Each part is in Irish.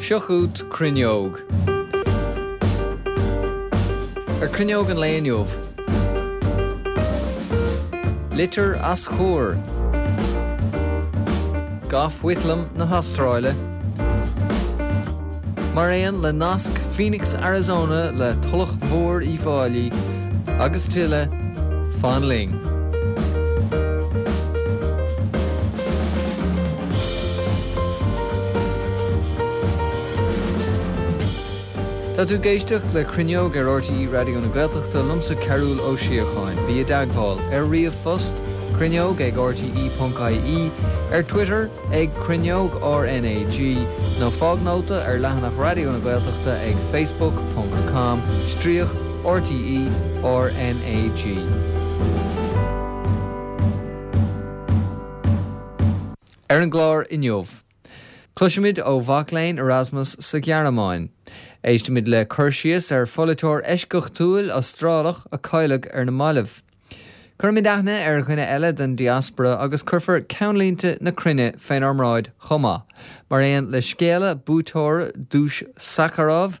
Seo chugat Cruinneog. Ar Cruinneog an lae inniu. Litir as Chur. Gough Whitlam na hAstráile. Mar aon le nasc Phoenix, Arizona le Tulach Mhór Uíbh Fhailí agus tuilleadh, fan linn. Tá tú ag éisteacht le Cruinneog ar RTÉ Raidió na Gaeltachta, liomsa Cearúll Ó Síocháin. Bí i dteagmháil ar ríomhphost, cruinneog ag rte.ie, ar Twitter ag Cruinneog RnaG, nó fág nóta ar leathanach Raidió na Gaeltachta ag facebook ponc com stríoc RTÉ RnaG. Ar an gclár inniu, cloisfimid ó mhac léinn Erasmus sa Ghearmáin. Éistfimid le cur síos ar pholaiteoir eisceachtúil Astrálach a cailleadh ar na mallaibh. Cuirfimid aithne ar dhuine eile den diaspora agus cuirfear ceannlínte na cruinne fénár mbráid chomh maith, mar aon le scéala buaiteora Duais Sakharov,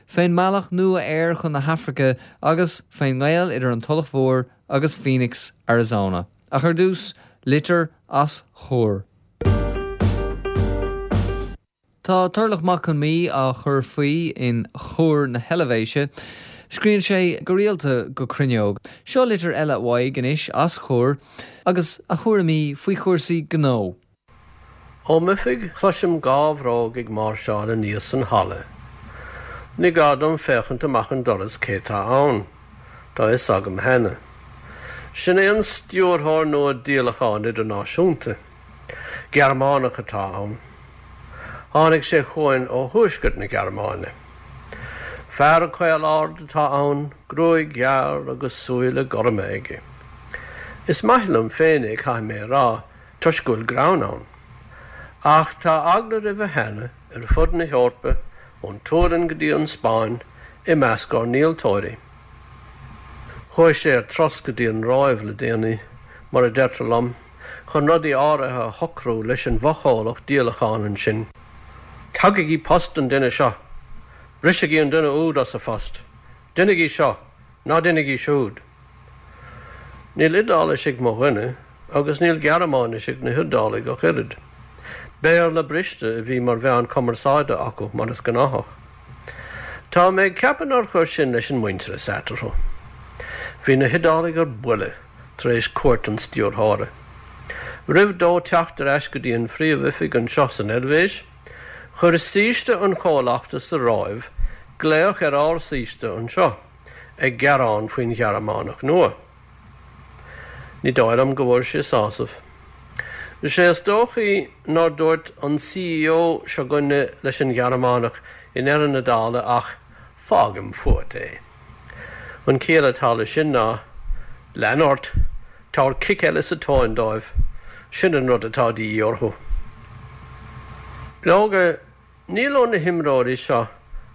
fén mbealach nua aeir chun na hAfraice agus fén ngaol idir an Tulach Mhór agus Phoenix, Arizona. Ach ar dtús, litir as Chur. Tá Turlough Mac Con Midhe á chur faoi in Chur na hEilvéise. Scríobhann sé go rialta go Cruinneog. Seo litir eile uaidh anois as Chur agus a thuairimí faoi chúrsaí gnó. Ó m'oifig cloisim gábhróg ag máirseáil aníos an halla. Ní gá dom féachaint amach an doras cé tá ann. Tá fhios agam cheana. Sin é an stiúrthóir nua díolacháin idirnáisiúnta. Gearmánach atá ann. Tháinig sé chugainn ó thuaisceart na Gearmáine. Fear caol ard atá ann, gruaig ghearr agus súile gorma aige. Is maith liom féin é, caithfidh mé a rá, toisc go bhfuil greann ann. Ach tá eagla roimhe cheana ar fud na hEorpa, ón tSualainn go dtí an Spáinn, i measc ár ndíoltóirí. Chuaigh sé ar turas go dtí an Róimh le déanaí, mar a deirtear liom, chun rudaí áirithe a shocrú leis an bhfochomhlacht díolacháin ansin. Tugaigí post don duine seo! Brisigí an duine úd as a phost! Deinigí seo! Ná deinigí siúd! Níl Iodáilis ag mo dhuine agus níl Gearmáinis ag na hIodálaigh ach oiread. Béarla briste a bhí mar mheán cumarsáide acu, mar is gnáthach. Tá mé ag ceapadh nár chuir sin leis an muintearas eatarthu. Bhí na hIodálaigh ar buile tar éis cuairt an stiúrthóra. Roimh dó teacht ar ais go dtí an phríomhoifig anseo san Eilvéis, chuir saoiste an chomhlachta sa Róimh glaoch ar ár saoiste anseo. ag gearán faoin Ghearmánach nua. Ní dóigh liom go bhfuair sé sásamh. Is é is dóichí nár dúirt an CEO seo 'gainne leis an Ghearmánach i ndeireadh na dála ach 'fágaim fút é'. An chiall atá leis sin ná 'lean ort, tabhair cic eile sa tóin dóibh, sin an rud atá de dhíth orthu'. Leoga, Níl ó na himreoirí seo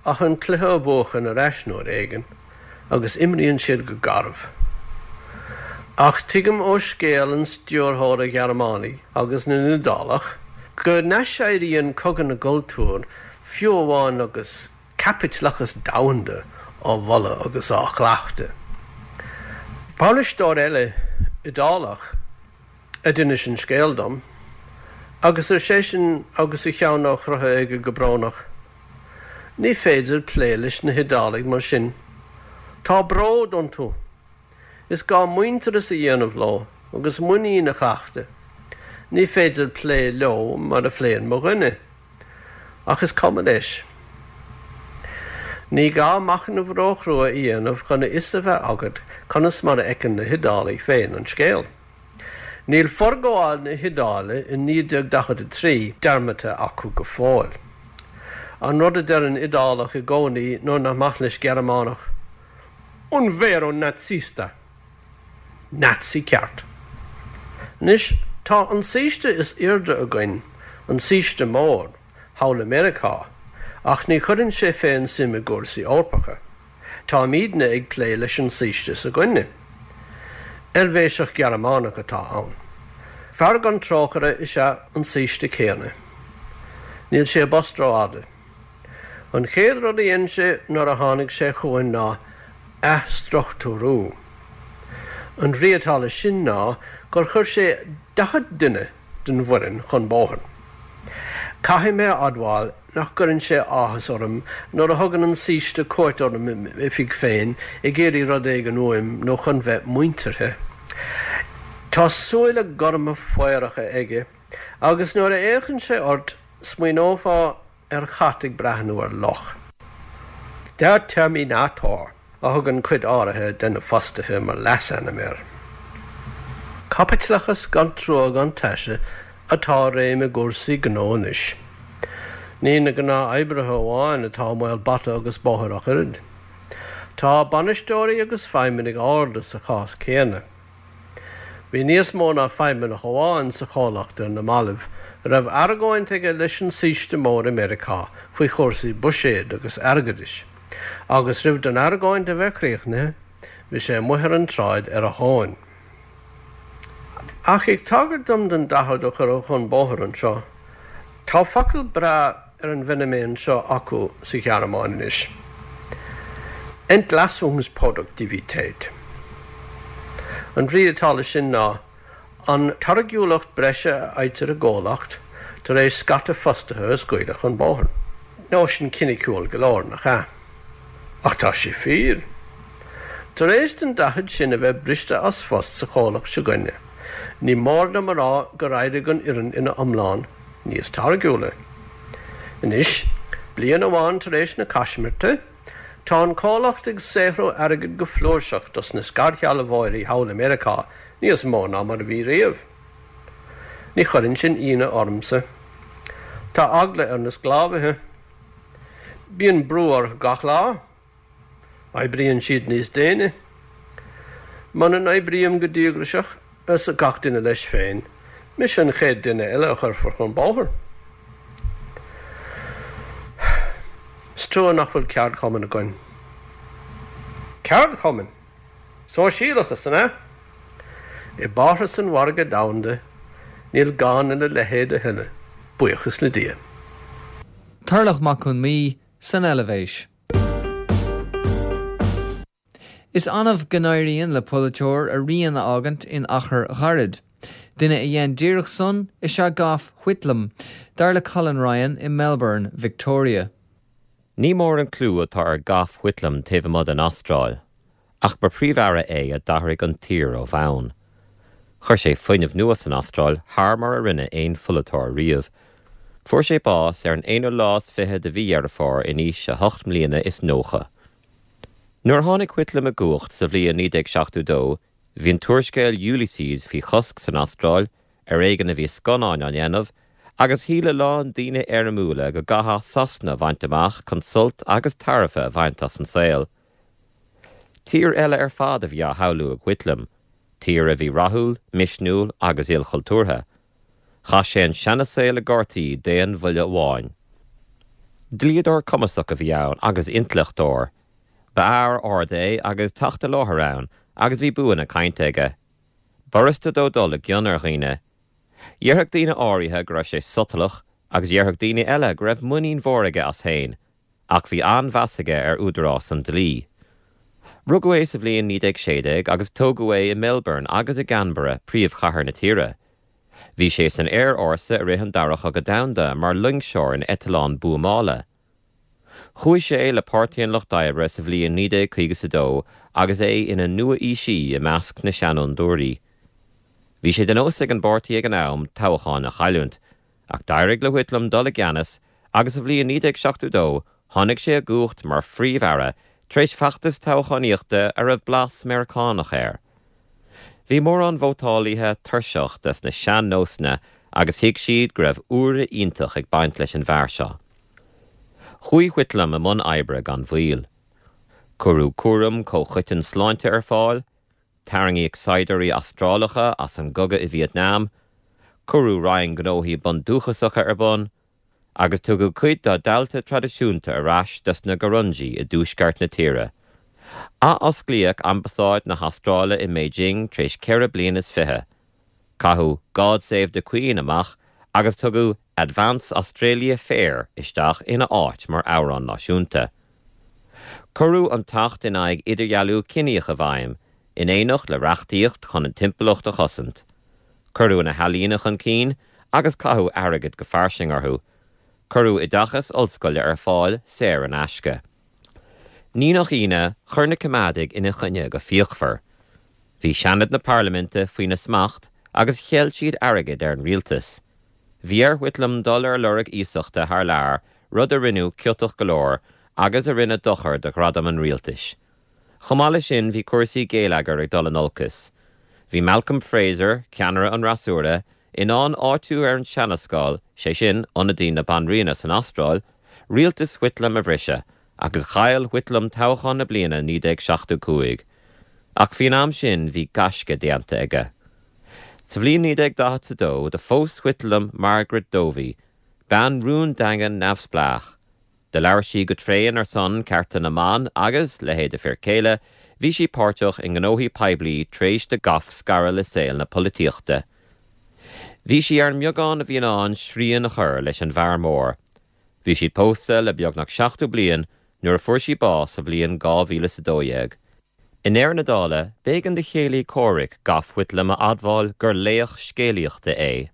ach an cluiche a bhuachan ar ais uair éigin, agus imríonn siad go garbh. Ach tuigim ó scéal an stiúrthóra Ghearmánaigh agus na nIodálach go n-aiséiríonn cogadh na gcultúr fiú amháin agus caipitleachas domhanda á mholadh agus á chleachtadh. Bainisteoir eile Iodálach a d'inis an scéal dom, agus ar seisean agus a cheann á chroitheadh aige go brónach, Ní féidir plé leis na hIodálaigh mar sin. Tá bród iontu. Is gá muintearas a dhéanamh leo agus muinín a chleachtadh. Ní féidir plé leo mar a phléann mo dhuine. Ach is cuma leis. Ní gá machnamh róchrua a dhéanamh chun a fhios a bheith agat conas mar a fheiceann na hIodálaigh féin an scéal. Níl forghabháil na hIodáile i 1943 dearmadta acu go fóill. An rud a deir an Iodálach i gcónaí nuair nach maith leis Gearmánach, Un vero nazista! Nazi ceart. Anois, tá an saoiste is airde againn, an saoiste mór, thall i Meiriceá, ach ní chuireann sé féin suim i gcúrsaí Eorpacha. Táimidne ag plé leis an saoiste s'againne. Eilvéiseach Gearmánach atá ann. Fear gan trócaire is ea an saoiste céanna. Níl sé i bpost rófhada. An chéad rud a dhein sé nuair a tháinig sé chugainn ná athstruchtúrú. An bhrí atá leis sin ná gur chuir sé 40 duine den bhfoireann chun bóthair. Caithfidh mé a admháil nach gcuireann sé áthas orm nuair a thugann an saoiste cuairt orm i m'oifig féin ag iarraidh rud éigin uaim nó chun bheith muinteartha. Tá súile gorma faoracha aige agus nuair a fhéachann sé ort smaoineofá ar chat ag breathnú ar luch. Der Terminator a thugann cuid áirithe de na fostaithe mar leasainm air. Caipitleachas gan trua gan taise atá i réim i gcúrsaí gnó anois. Ní na gnáthoibrithe amháin atá i mbaol bata agus bóthair ach oiread. Tá bainisteoirí agus feidhmeannaigh arda sa chás céanna. Bhí níos mó ná feidhmeannach amháin sa chomhlacht ar na mallaibh a raibh argóint aige leis an saoiste mór i Meiriceá faoi chúrsaí buiséid agus airgeadais, agus roimh don argóint a bheith críochnaithe, bhí sé amuigh ar an tsráid ar a thóin. Ach ag tagairt dom don 40 a cuireadh chun bóthair anseo, tá focal breá ar an bhfeiniméan seo acu sa Ghearmáin anois, Entlassungsproduktivität. An bhrí atá leis sin ná an táirgiúlacht breise a fhaightear i gcomhlacht tar éis scata fostaithe a scaoileadh chun bóthair. Nóisean ciniciúil go leor, nach ea? Ach tá sé fíor. Tar éis don 40 sin a bheith briste as phost sa chomhlacht seo 'gainne, ní mór dom a rá gur éirigh an fhoireann ina iomlán níos táirgiúla. Anois, bliain amháin tar éis na caismirte, tá an comhlacht ag saothrú airgid go flúirseach dos na scairshealbhóirí thall i Meiriceá, níos mó ná mar a bhí riamh. Ní chuireann sin ionadh ormsa. Tá eagla ar na sclábhaithe. Bíonn brú orthu gach lá. Oibríonn siad níos déine. Muna n-oibrím go díograiseach, arsa gach duine leis féin, mise an chéad duine eile a chuirfear chun bóthair. Is trua nach bhfuil ceardchumann againn. Ceardchumann? Sóisialachas, an ea? I bParthas an mhargaidh domhanda, níl gá lena leithéid a thuilleadh, buíochas le Dia. Tarlach Mac Con Midhe san Eilvéis. Is annamh go n-éiríonn le polaiteoir a rian a fhágaint in achar ghairid. Duine a dhein díreach san is ea Gough Whitlam, dar le Colin Ryan i Melbourne, Victoria. Ní mór an clú atá ar Gough Whitlam taobh amuigh den Astráil. Ach ba Phríomh-Aire é a d'athraigh an tír ó bhonn. Chuir sé fuinneamh nua san Astráil thar mar a rinne aon pholaiteoir riamh. Fuair sé bás ar an aonú lá is fiche de mhí Dheireadh Fómhair in aois a hocht mbliana is 90. Nuair a tháinig Whitlam i gcumhacht sa bhliain 1972, bhí an t-úrscéal Ulysses faoi chosc san Astráil, ar éigean a bhí scannáin á ndéanamh, agus shíl a lán daoine éirimiúla go gcaithfeá Sasana a bhaint amach chun sult agus tairbhe a bhaint as an saol. Tír eile ar fad a bhí á shamhlú ag Whitlam, tír a bhí rathúil, misniúil agus ilchultúrtha. Chaith sé an seana-saol i gcártaí d'aon bhuille amháin. Dlíodóir cumasach a bhí ann agus intleachtóir. Ba fhear ard é agus teacht i láthair ann agus bhí bua na cainte aige. B'fhurasta dó dul i gcion ar dhaoine. Dhéarfadh daoine áirithe go raibh sé sotalach agus dhéarfadh daoine eile go raibh muinín mhór aige as féin. Ach bhí an-mheas aige ar údarás an dlí. Rugadh é sa bhliain 1916 agus tógadh é i Melbourne agus i gCanberra, príomhchathair na tíre. Bhí sé san aerfhórsa i rith an Dara Chogadh Domhanda mar loingseoir in eitleán buamála. Chuaigh sé le Páirtí an Lucht Oibre sa bhliain 1952 agus é ina nua-aoisí i measc na seanfhondúirí. Bhí sé de nós ag an bpáirtí ag an am toghcháin a chailliúint, Ach d'éirigh le Whitlam dul i gceannas agus sa bhliain 1972 tháinig sé i gcumhacht mar Phríomh-Aire tar éis feachtas toghchánaíochta a raibh blas Meiriceánach air. Bhí mórán vótálaithe tuirseach des na sean-nósanna agus thuig siad go raibh úire iontach ag baint leis an bhfear seo. Chuaigh Whitlam i mbun oibre gan mhoill. Cuireadh cúram comhchoiteann sláinte ar fáil, Tarraingíodh saighdiúirí Astrálacha as an gcogadh i Vietnam, cuireadh Roinn Gnóthaí Bundúchasacha ar bun, agus tugadh cuid dá dtailte traidisiúnta ar ais dos na Gurunji i dtuaisceart na tíre. Athosclaíodh Ambasáid na hAstráile i mBeijing tar éis ceithre bliana is fiche. Caitheadh 'God Save the Queen' amach agus tugadh. Advance Australia Fair isteach ina áit mar amhrán náisiúnta. Cuireadh an tAcht in aghaidh Idirdhealú Ciníoch i bhfeidhm, in éineacht le reachtaíocht chun an timpeallacht a chosaint. Cuireadh na healaíona chun cinn agus caitheadh airgead go fairsing orthu. Cuireadh oideachas ollscoile ar fáil saor in aisce. Ní nach ionadh, chuir na Coimeádaigh ina choinne go fíochmhar. Bhí Seanad na Parlaiminte faoina smacht agus cheil siad airgead ar an rialtas. Bhí ar Whitlam dul ar lorg iasachta thar lear, rud a rinneadh ciotach go leor agus a rinne dochar do ghradam an rialtais. Chomh maith leis sin bhí cúrsaí geilleagair ag dul in olcas. Bhí Malcolm Fraser, ceannaire an fhreasúra, in ann áitiú ar an Seanascáil, sé sin, ionadaí na Banríona san Astráil, rialtas Whitlam a bhriseadh, agus chaill Whitlam toghchán na bliana 1975. Ach faoin am sin bhí gaisce déanta aige. Sa bhliain 1942 do phós Whitlam Margaret Dovey, bean rúndaingean neamhspleách. Do labhair sí go tréan ar son cearta na mban agus, leithéid a fir céile, bhí sí páirteach i ngnóthaí poiblí tar éis do Gough scaradh le saol na polaitíochta. Bhí sí ar an mbeagán a bhí in ann srian a chur leis an bhfear mór. Bhí siad pósta le beagnach 70 bliain nuair a fuair sí bás sa bhliain 2012. I ndeireadh na dála, b'éigean do chéilí comhraic Gough Whitlam a admháil gur laoch scéalaíochta é.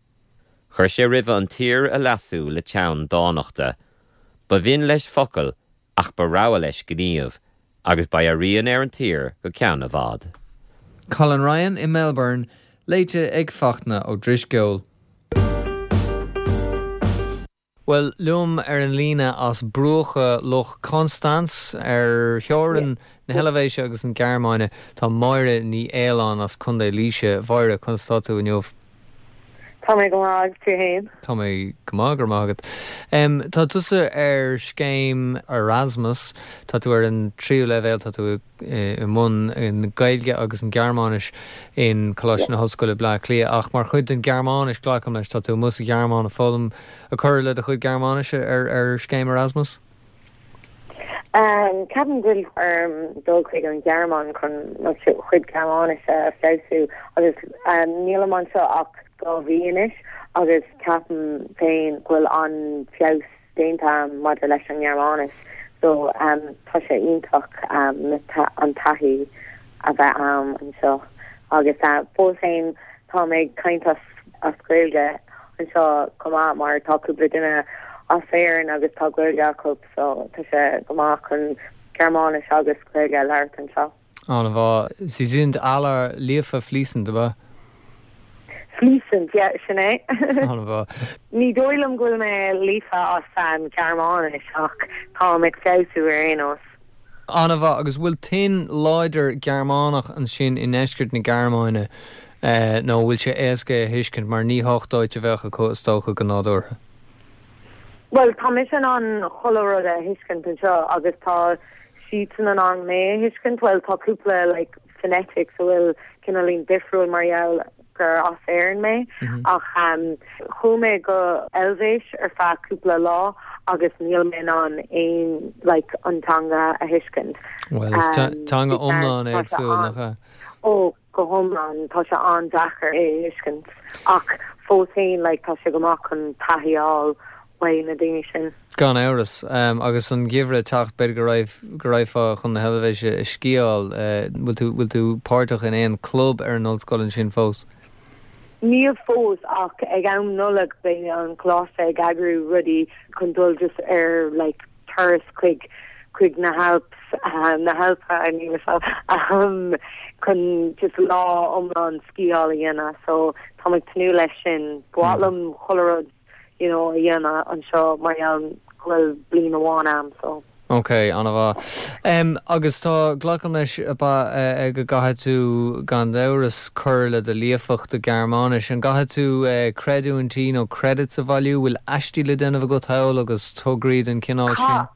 Chuir sé roimhe an tír a leasú le teann dánachta. Ba bhinn leis focal ach ba rogha leis gníomh, agus beidh a rian ar an tír go ceann i bhfad. Colin Ryan i Melbourne, léite ag Fachtna Ó Drisceoil. Bhuel, liom ar an líne as bruacha Loch Constance ar theorainn na hEilvéise agus an Ghearmáine, tá Máire Ní Fhaoláin as Contae Laoise. Mháire, conas tá tú inniu? Tá mé go maith, agus tú fhéin? Tá mé go maith, go raibh maith agat. Tá tusa ar scéim Erasmus, tá tú ar an tríú leibhéal, tá tú i mbun na Gaeilge agus an Ghearmáinis in Coláiste na hOllscoile Bleá Cliath, ach mar chuid den Ghearmáinis, glacaim leis, tá tú amuigh sa Ghearmáin ag foghlaim, ag cur le do chuid Gearmáinise ar scéim Erasmus? Ceapaim go bhfuil orm dul chuig an Ghearmáin chun mo chuid Gearmáinise a feabhsú agus nílim anseo ach 2 mhí anois agus ceapaim féin go bhfuil an-feabhas déanta agam maidir leis an nGearmáinis so tá sé iontach an taithí a bheith agam anseo agus fós féin táim ag caint as as Gaeilge anseo chomh maith mar tá cúpla duine as Éirinn agus tá Gaeilge acu so tá sé go maith chun Gearmáinis agus Gaeilge a labhairt anseo. An-mhaith. Sie sind alle líofa fließend, ab ea? Fließend, yeah, sin é. An-mhaith. Ní dóigh liom go bhfuil mé líofa as an Ghearmáinis ach táim ag feabhsú ar aon nós. An-mhaith. Agus bhfuil tuin láidir Gearmánach ansin i ndeisceart na Gearmáine nó bhfuil sé éasca é a thuiscint mar ní Hochdeutsch a bheadh acu is dócha go nádúrtha? Bhuel, tá mise in ann chuile rud a thuiscint anseo agus tá siadsan in ann mé a thuiscint. Bhuel, tá cúpla like phonetics a bhfuil cineáilín difriúil mar gheall gur as Éirinn mé ach chuaigh mé go Eilvéis ar feadh cúpla lá agus níl mé in ann aon like an teanga a thuiscint. Bhuel is teanga iomlán éagsúil nach ea? Ó go hiomlán tá sé an-deacair é a thuiscint ach fós féin like tá sé go maith chun taithí a fháil uaidh na daoine sin. Gan amhras. Agus an geimhreadh ag teacht, b'fhéidir go raibh, go raghfá chun na hEilvéise ag sciáil. Bhfuil tú, bhfuil tú páirteach in aon club ar an ollscoil ansin fós? Níl fós ach ag am Nollag beidh an coláiste ag eagrú rudaí chun dul just ar like turas chuig, chuig na hAlps, na hAlpa, níl a fhios agam, chun just lá iomlán sciáil a dhéanamh so táim ag tnúth leis sin. Ba mhaith liom chuile rud you know, a dhéanamh anseo mar gheall go bhfuil bliain amháin a'm so. Ok, an-mhaith. Em, agus tá, glacaim leis, ab ea, go gcaithfidh tú, gan amhras, cur le do líofacht i Gearmáinis. An gcaithfidh tú creidiúintí nó credits a bhailiú? Bhfuil aistí le déanamh agat thall agus tograí den chineál sin?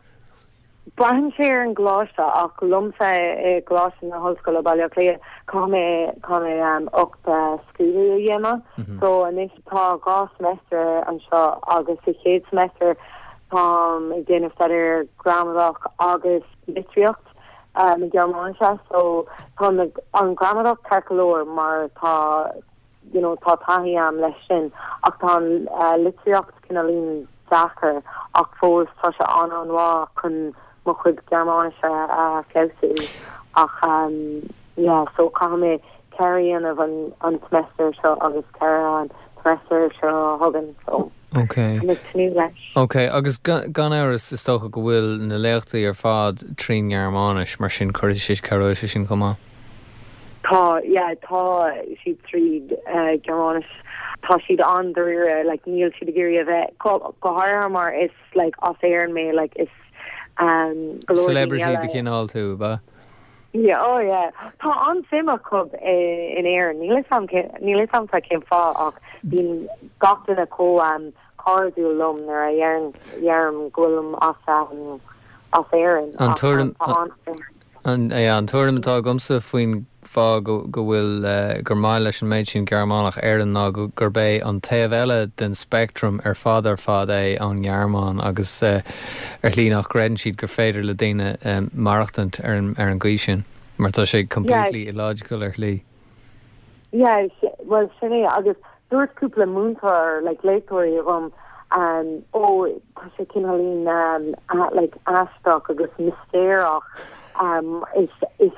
Braitheann sé ar an gcoláiste ach liomsa i gColáiste na hOllscoile Baile Átha Cliath caithfidh mé caithfidh mé 8 scrúdú a dhéanamh. So anois tá 2 semester anseo agus sa chéad semester táim ag déanamh staidéar gramadach agus litríocht na Gearmáinise so tá an gramadach ceart go leor mar tá. you know tá taithí a'm leis sin ach tá an litríocht cineáilín deacair ach fós tá sé an-an-mhaith chun mo chuid Gearmáinise a feabhsú ach yeah so caithfidh mé 4 a dhéanamh an an semester seo agus 4 an semester seo chugainn so Ok. Tá mé ag tnúth leis. Ok agus gan amhras is dócha go bhfuil na léachtaí ar fad trín nGearmáinis mar sin cuirfidh sé cabhróidh sé sin chomh maith. Tá, yeah, tá siad tríd Gearmáinis. Tá siad an-dáiríre, like, níl siad ag iarraidh a bheith, go, go háirithe mar is, like, as Éirinn mé, like, is, um, go leor daoine Celebrity eile. de chineál tú, ab ea? Yeah, oh yeah. Tá an-suim acu in Éirinn. Níl 'fhios a'm cé, níl 'fhios a'msa cén fáth ach bíonn gach duine chomh, um, cairdiúil liom nuair a dheireann, dheirim go bhfuilim as, um, as Éirinn. An tuairim, Tá an-suim. An tuairim atá agamsa faoin bhfáth go bhfuil, gur maith leis an méid sin Gearmánach Éirinn ná gurb é an taobh eile den speictream ar fad ar fad é ón nGearmáin agus ar shlí nach gcreideann siad gur féidir le daoine maireachtaint ar an gcaoi sin mar tá sé completely illogical ar shlí. Yeah, bhuel sin é agus dúirt cúpla múinteoir like léachtóirí dhom um ó tá sé cineáilín um like aisteach agus mistéireach um is is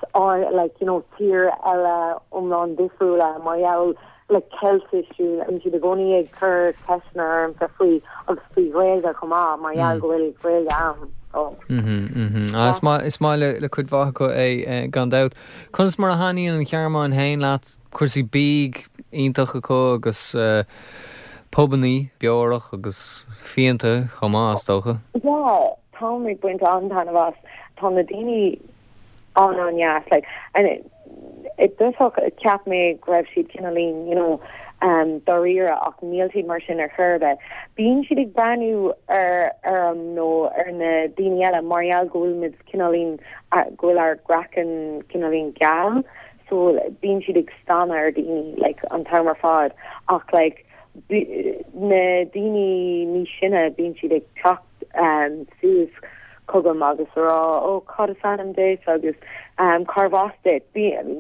like you know tír eile iomlán difriúla mar gheall like Ceiltis bíonn siad i gcónaí ag cur ceisteanna ormsa faoi agus faoi Ghaeilge chomh maith mar gheall go bhfuil Gaeilge a'm so. Mhm mhm. Ah is maith is maith le le cuid mhaith acu é gan dabht. Conas mar a thaitníonn an Ghearmáin féin leat? Cúrsaí bídh iontach acu agus pubannaí beorach agus fíonta chomh maith, is dócha. Yeah, táim ag baint an-taitneamh as. Tá na daoine an-an-deas. Like, and i dtosach cheap mé go raibh siad cineáilín, you know, dáiríre ach níl siad mar sin ar chor ar bith. Bíonn siad ag breathnú ar orm nó ar na daoine eile mar gheall go bhfuil muid cineáilín, go bhfuil ár gcraiceann cineáilín geal so bíonn siad ag stánadh ar daoine like an t-am ar fad ach like na daoine níos sine bíonn siad ag teacht um, suas chugam agus a rá ó cad is ainm duit agus um, cárbh as duit.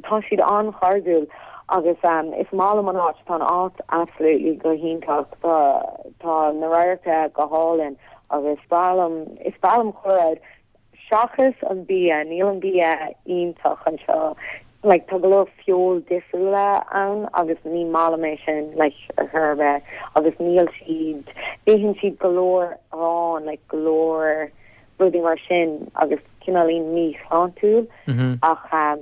Tá siad an-chairdiúil agus um, is maith liom an áit, tá an áit absolutely go hiontach, tá, tá na radharcanna go hálainn agus is breá liom, is breá liom chuile rud Seachas an bia, níl an bia iontach anseo. Like, tá go leor feoil difriúla ann agus ní maith liom é sin, like, ar chor ar bith. Agus níl siad, itheann siad go leor arán, like, go leor rudaí mar sin agus cineáilín míshláintiúil. Ach um,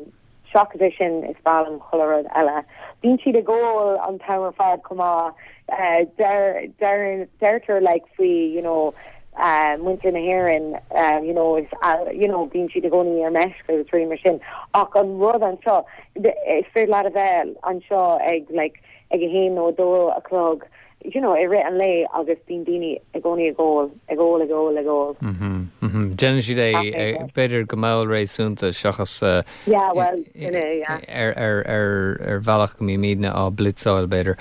Seachas é sin, is breá liom chuile rud eile. Bíonn siad ag ól an t-am ar fad chomh maith. Deirtear like faoi you know muintir na hÉireann you know is you know bíonn siad i gcónaí ar meisce agus rudaí mar sin. Ach an rud anseo, is féidir leat a bheith anseo ag like ag a haon nó a dó a chlog you know, i rith an lae agus bíonn daoine i gcónaí ag ól, ag ól, ag ól, ag ól. Mhm, mhm. Déanann siad é, b'fhéidir go mall réasúnta seachas Yeah, well, sin é, yeah. ar, ar, ar, ar bhealach go mbímidne á blitzáil, b'fhéidir.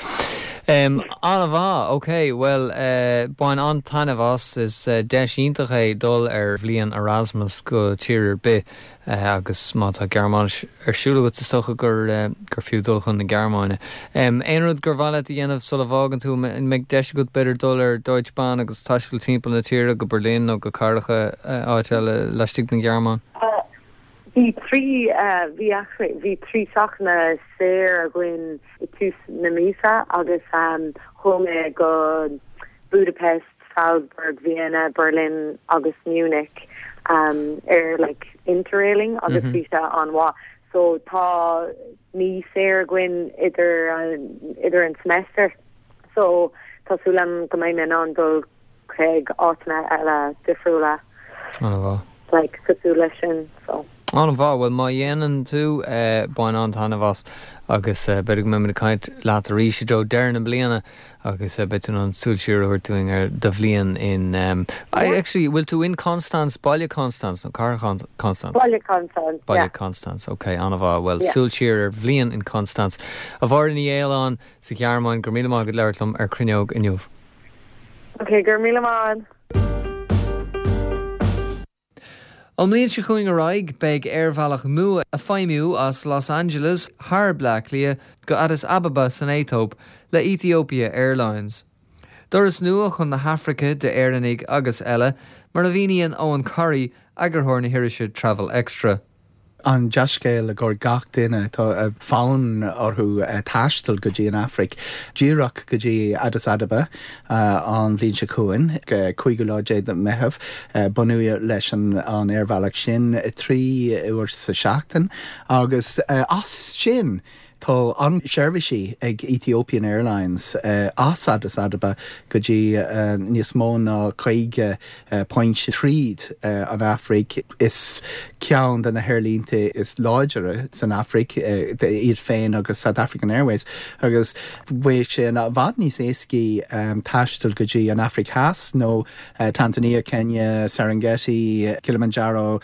Um, an-mhaith, ok, bhuel, uh, bain an-taitneamh as, is uh, deis iontach é dul ar bhliain Erasmus go tír ar bith. Agus má tá Gearmáinis ar siúl agat, is dócha gur gur fiú dul chun na Gearmáine. Aon rud gur mhaith leat a dhéanamh sula bhfágann tú? An mbeidh deis agat b'fhéidir dul ar Deutsche Bahn agus taisteal timpeall na tíre, go Berlin nó go cathracha áit eile laistigh den Ghearmáin? Bhí 3, bhí actually, bhí 3 seachtaine saor againn i tús na míosa agus chuaigh mé go Budapest, Salzburg, Vienna, Berlin agus Munich ar like interrailing agus bhí sé an-mhaith. So tá mí saor againn idir idir an semester so tá súil agam go mbeidh mé in ann dul chuig áiteanna eile difriúla. An-mhaith. Like cosúil leis sin so. An-mhaith, bhuel má dhéanann tú, bain an-taitneamh as agus b'fhéidir go mbeimid ag caint leat arís i dtreo deireadh na bliana Agus beidh tú in ann súil siar a thabhairt dúinn ar do bhliain in, actually, bhfuil tú in Konstanz, baile Konstanz nó cathair Konstanz? Baile Konstanz, yeah. Baile Konstanz, ok, an-mhaith. Bhuel, súil siar ar bhliain in Konstanz. A Mháire Ní Fhaoláin sa Ghearmáin, go raibh míle maith agat labhairt liom ar Cruinneog inniu. Ok, go raibh míle maith. Ón mbliain seo chugainn ar aghaidh, beidh aerbhealach nua ag feidhmiú as Los Angeles thar Bleá Cliath go Addis Ababa san Aetóip le Ethiopia Airlines. Doras nua chun na hAfraice d'Éireannaigh agus eile, mar a mhíníonn Eoghan Corry, eagarthóir na hirise Travel Extra. An dea-scéal i gcomhair gach duine atá fonn orthu taisteal go dtí an Afraic, díreach go dtí Addis Ababa an bhliain seo chugainn, 15ú lá de Meitheamh. Bunú leis an aerbhealach sin 3 uair sa seachtain agus as sin Tá an-seirbhísí ag Ethiopian Airlines as Addis Ababa go dtí níos mó ná 50 pointe tríd an Afraic. Is ceann de na haerlínte is láidre san Afraic iad féin agus South African Airways agus beidh sé i bhfad níos éascaí taisteal go dtí an Afraic Theas nó Tanzania, Kenya, Serengeti, Kilimanjaro,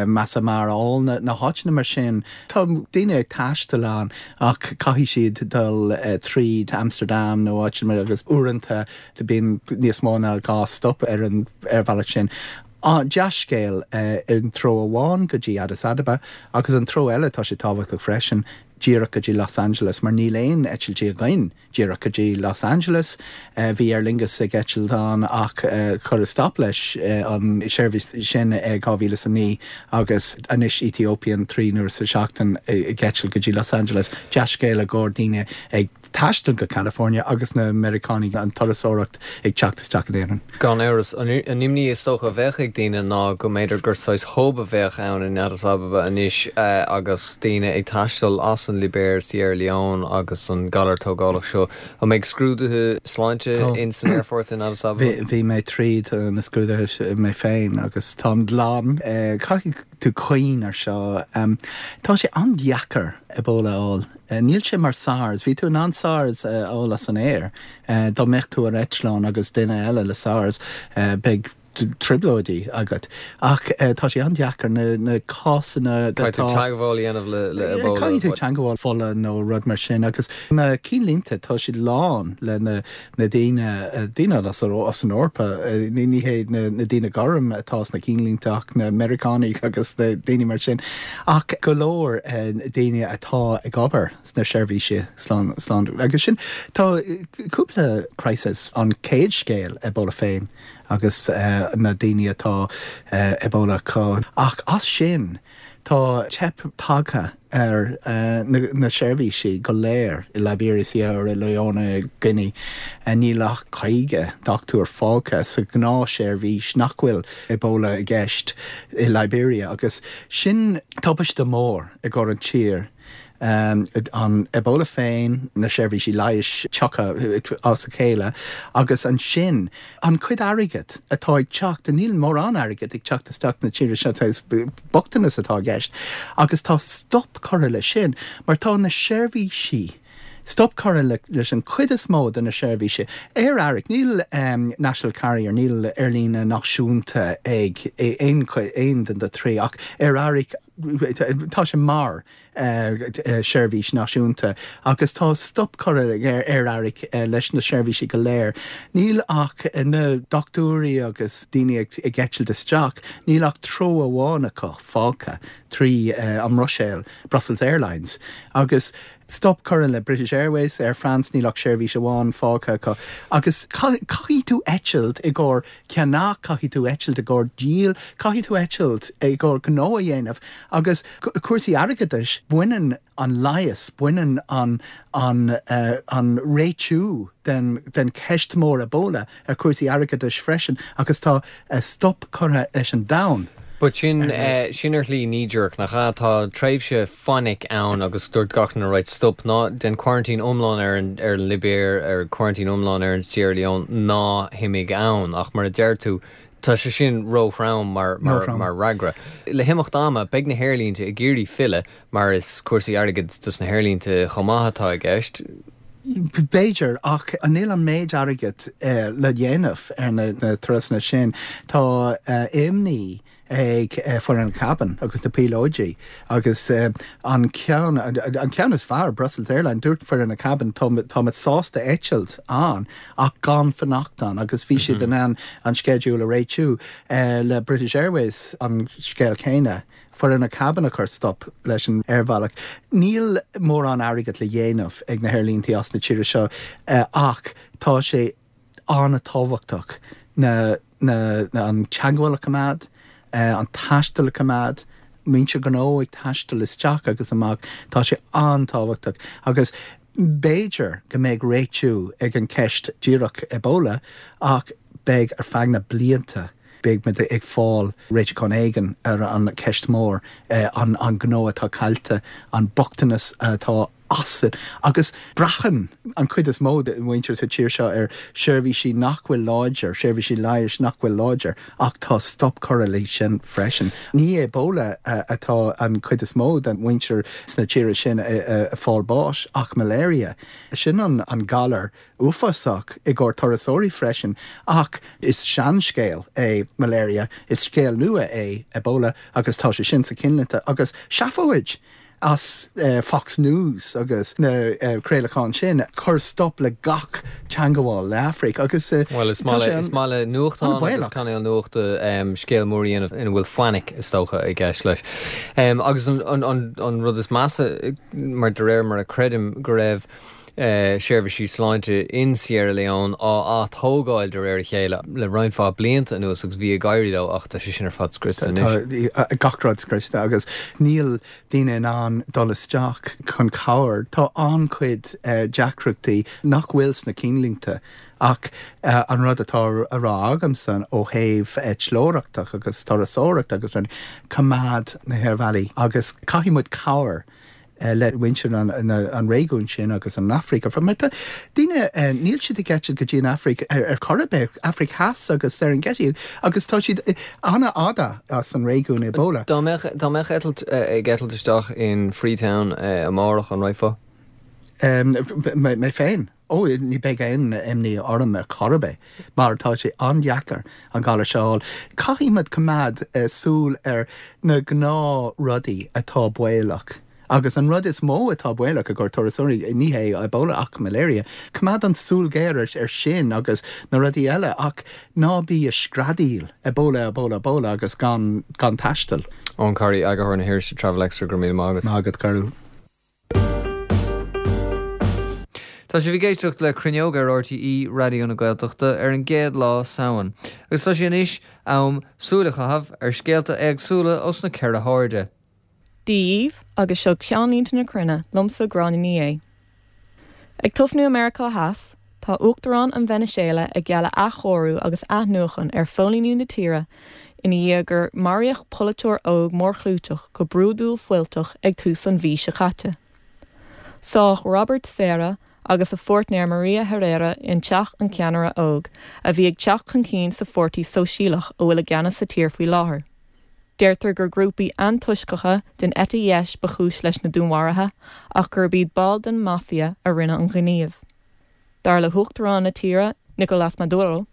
Masai Mara, all na háiteanna mar sin. Tá daoine ag taisteal ann ach caithfidh siad dul tríd Amsterdam nó áiteanna mar agus uaireanta bíonn níos mó ná 2 stop ar an aerbhealach sin. Dea-scéal an treo amháin go dtí Addis Ababa agus an treo eile tá sé tábhachtach freisin díreach go dtí Los Angeles mar níl aon eitiltí againn. Díreach go dtí Los Angeles. Bhí Aer Lingus ag eitilt ann ach cuireadh stop leis an seirbhís sin i 2009 agus anois Ethiopian 3 n-uair sa seachtain ag eitilt go dtí Los Angeles. Dea-scéal i gcomhair daoine ag taisteal go California agus na Meiriceánaigh an turasóireacht ag teacht isteach in Éirinn. Gan amhras. An imní is dócha a bheadh ag daoine ná go mb'fhéidir gur saghas hub a bheadh ann in Addis Ababa anois agus daoine ag taisteal as an Libéir, Sierra Leone agus an galar tógálach seo. An mbeidh scrúduithe sláinte in san aerfort in Addis Ababa? Bhí mé tríd na scrúduithe mé féin agus táim glan. Caithfidh tú cuimhneamh ar seo. Tá sé an-deacair Ebola a fháil. Níl sé mar SARS. Bhí tú in ann SARS a fháil as an aer. Dá mbeadh tú ar eitleán agus duine eile le SARS, beidh trioblóidí agat. Ach tá sé an-deacair na cásanna atá. Caithfidh tú teagmháil a dhéanamh le Ebola. Caithfidh tú teagmháil fola nó rud mar sin. Agus na cinnlínte, tá siad lán le na daoine, daoine as an Eoraip, ní hé na daoine gorm atá sna cinnlínte ach na Meiriceánaigh agus na daoine mar sin. Ach go leor daoine atá ag obair sna seirbhísí sláinte agus sin, tá cúpla crisis, an chéad scéal Ebola féin agus na daoine atá Ebola acu ach as sin tá teip tagtha ar na seirbhísí go léir i Liberia, Sierra Leone, Guinea. Níl ach 50 dochtúir fágtha sa ghnáthsheirbhís nach bhfuil Ebola i gceist i Liberia agus sin tubaiste mór i gcomhair an tír. An Ebola féin, na seirbhísí leighis tugtha as a chéile agus ansin an cuid airgead atá ag teacht, níl mórán airgead ag teacht isteach na tíre seo, bochtanas atá i gceist agus tá stop curtha leis sin mar tá na seirbhísí, stop curtha leis an cuid is mó de na seirbhísí. Aer Arann, níl national carrier, níl aerlíne náisiúnta ag aon aon den de thrí ach Aer Arann, tá sé mar seirbhís náisiúnta agus tá stop curtha ag Aer Arann leis na seirbhísí go léir. Níl ach na dochtúirí agus daoine ag eitilt isteach, níl ach treo amháin acu fágtha trí an mBruiséil, Brussels Airlines, agus stop curtha le British Airways, Air France, níl ach seirbhís amháin fágtha acu. Agus caithfidh tú eitilt i gcomhair ceannach, caithfidh tú eitilt i gcomhair díol, caithfidh tú eitilt i gcomhair gnó a dhéanamh agus cúrsaí airgeadais, baineann an leigheas, baineann an an an réitiú den den cheist mór Ebola ar chúrsaí airgeadais freisin agus tá stop curtha leis an domhan. But sin sin ar shlí knee jerk, nach ea? Tá tréimhse fainic ann agus dúirt gach duine right stop, ná déan quarantine iomlán ar an ar an Libéir, ar quarantine iomlán ar an Sierra Leone, ná himigh ann. Ach mar a deir tú, tá sé sin róthrom mar mar mar fhreagra. Le himeacht ama, beidh na haerlínte ag iarraidh filleadh mar is cúrsaí airgid dos na haerlínte chomh maith atá i gceist. B'fhéidir, ach níl an méid airgid le dhéanamh ar na turasanna sin. Tá imní. ag foireann cabin agus na píolóidí agus an ceann, an ceann is fearr, Brussels Airline, dúirt foireann na cabin táimid sásta eitilt ann ach gan fanacht ann agus bhí siad in ann an sceideal a réitiú le British Airways an scéal céanna, foireann na cabin a chuir stop leis an aerbhealach. Níl mórán airgead le dhéanamh ag na haerlíntí as na tíre seo ach tá sé an-tábhachtach na na an teagmháil a choimeád, an taisteal a choimeád, muintir gnó ag taisteal isteach agus amach, tá sé an-tábhachtach agus b'fhéidir go mbeidh réitiú ag an ceist díreach Ebola ach beidh ar feadh na blianta beidh muid ag fáil réiteachán éigin ar an cheist mór, an an gnó atá caillte, an bochtanas atá as sin. Agus braitheann an chuid is mó de mhuintir sa tír seo ar sheirbhísí nach bhfuil láidir, seirbhísí leighis nach bhfuil láidir, ach tá stop curtha leis sin freisin. Ní Ebola atá an chuid is mó den mhuintir sna tíortha sin ag fáil báis ach malaria. Sin an galar uafásach i gcomhair turasóirí freisin. Ach is seanscéal é malaria, is scéal nua é Ebola agus tá sé sin sa cinnlínte. Agus seafóid! as Fox News agus na craolacháin sin, cur stop le gach teangabháil le Afraic agus Bhuel, is maith le, is maith le nuachtáin agus cainéil nuachta scéal mór a dhéanamh ina bhfuil fainic, is dócha, i gceist leis. Agus an rud is measa, mar de réir mar a creidim go raibh seirbhísí sláinte in Sierra Leone á atógáil de réir a chéile le roinnt mhaith blianta anuas agus bhí ag éirí leo ach tá sé sin ar fad scriosta anois. Tá gach rud scriosta agus níl daoine in ann dul isteach chun cabhair. Tá an-chuid deacrachtaí nach bhfuil sna cinnlínte ach an rud atá a rá agamsa ó thaobh eitleoireachta agus turasóireachta agus rudaí, coimeád na haerbhealaí agus caithfidh muid cabhair le muintir an réigiúin sin agus an Afraic ar fad. Mar tá daoine, níl siad ag eitilt go dtí an Afraic ar chor ar bith, Afraic Theas agus Serengeti agus tá siad an-fhada as an réigiún Ebola. Dá mbeadh, dá mbeadh eitilt ag eitilt isteach in Freetown amárach, an raghfá? Mé féin? Ó, ní bheidh aon imní orm ar chor ar bith, mar tá sé an-deacair an galar seo a fháil. Caithfidh muid coimeád súil ar na gnáthrudaí atá baolach. Agus an rud is mó atá baolach i gcomhair turasóirí, ní hé Ebola ach malaria. Coimeád an súil ghéar ar sin agus na rudaí eile ach ná bí ag screadaíl Ebola, Ebola, Ebola agus gan gan taisteal. Eoin Corry, eagarthóir na hirise Travel Extra, go raibh míle maith agat. Maith agat, Cárthach. Tá sibh ag éisteacht le Cruinneog ar RTÉ Raidió na Gaeltachta ar an gcéad lá Samhain agus tá sé anois am súil a chaitheamh ar scéalta éagsúla ós na ceithre hairde. Dia dhaoibh agus seo ceannlínte na cruinne liomsa Gráinne Ní Aodha. Ag tosnú i Meiriceá Theas, tá Uachtarán an Veiniséala ag gealladh athchóiriú agus athnuachan ar phóilíní na tíre ina dhiaidh gur maraíodh polaiteoir óg mórchlúiteach go brúidiúil fuilteach ag tús an mhí seo caite. Sádh Robert Serra agus a pháirtnéir Maria Herrera in teach an cheannaire óg, a bhí ag teacht chun cinn sa Pháirtí Sóisialach a bhfuil i gceannas sa tír faoi láthair. Deirtear gur grúpaí antoisceacha den eite dheis ba chúis leis na dúnmharuithe ach gurb iad baill den Mafia a rinne an gníomh. Dar le huachtarán na tíre, Nicolás Maduro,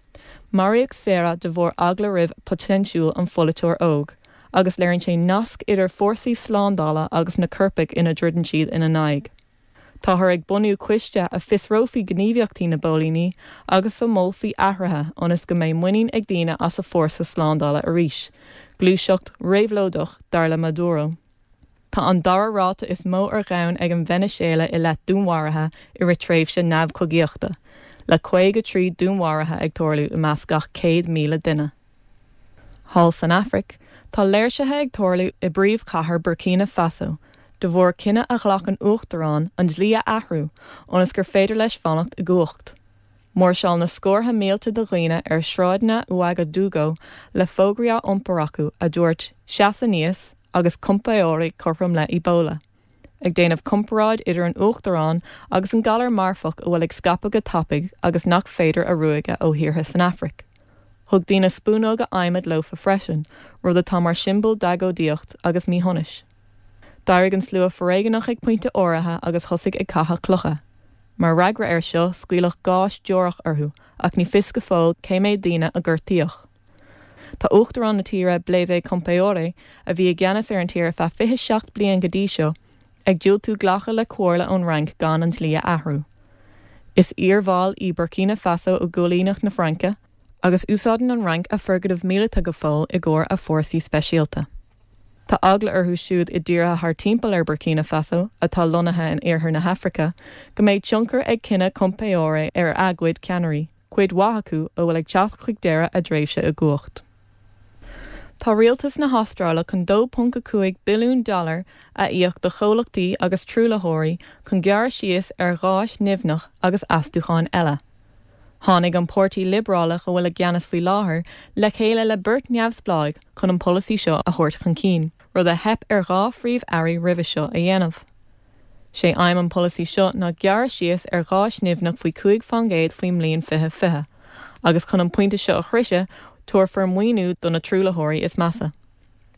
maraíodh Serra de bharr eagla roimh poitéinsiúil an pholaiteoir óg agus léiríonn sé nasc idir fórsaí slándála agus na coirpigh ina dtroideann siad ina n-aghaidh. Táthar ag bunú coiste a fiosrófaí gníomhaíochtaí na bpóilíní agus a molfaí athruithe ionas go mbeidh muinín ag daoine as a fórsa slándála arís, gluaiseacht réabhlóideach dar le Maduro. Tá an dara ráta is mó ar dhomhan ag an Veiniséala i leith dúnmharuithe i rith tréimhse neamhchogaíochta, le 53 dúnmharuithe ag tarlú i measc gach 100,000 duine. Thall san Afraic, tá léirsithe ag tarlú i bpríomhchathair Burkina Faso de bharr cinneadh a ghlac an uachtarán an dlí a athrú ionas gur féidir leis fanacht i gcumhacht. Mháirseáil na scórtha mílte de dhaoine ar shráideanna Ouagadougou le fógraí á iompar acu a dúirt 'Seas aníos' agus 'Compaoré cothrom le Ebola'. ag déanamh comparáid idir an uachtarán agus an galar marfach a bhfuil ag scaipeadh go tapaidh agus nach féidir a ruaigeadh ó thíortha san Afraic. Thug daoine spúnóga adhmaid leofa freisin, rud atá mar siombail d'agóidíocht agus míshonais. D'éirigh an slua foréigeanach ag pointe áirithe agus thosaigh ag caitheamh clocha. Mar fhreagra air seo, scaoileadh gás deorach orthu, ach ní fios go fóill cé méad daoine a gortaíodh. Tá Uachtarán na tíre, Blaise Compaoré, a bhí i gceannas ar an tír ar feadh 27 bliain go dtí seo, ag diúltú glacadh le comhairle ón Fhrainc gan an dlí a athrú. Is iarbhall í Burkina Faso i gcoilíneacht na Fraince, agus úsáideann an Fhrainc a foirgnimh míleata go fóill i gcomhair a fórsaí speisialta. Tá eagla orthu siúd i dtíortha thar timpeall ar Burkina Faso, atá lonnaithe in iarthar na hAfraice, go mbeidh tionchar ag cinneadh Compaoré ar a gcuid ceannairí, cuid mhaith acu a bhfuil ag teacht chuig deireadh a dtréimhse i gcumhacht. Tá rialtas na hAstráile chun 2.5 billiún dollar a íoc do chomhlachtaí agus truaillitheoirí chun gearradh síos ar gháis nimhneach agus astúcháin eile. Tháinig an Páirtí Liobrálach a bhfuil i gceannas faoi láthair le chéile le beirt neamhspleáigh chun an polasaí seo a thabhairt chun cinn, rud a theip ar 2 phríomh-airí roimhe seo a dhéanamh. Sé aidhm an polasaí seo ná gearradh síos ar gháis nimhneach faoi 5 fán gcéad faoin mbliain 2020, agus chun an pointe seo a shroicheadh, tabharfar maoiniú do na truaillitheoirí is measa.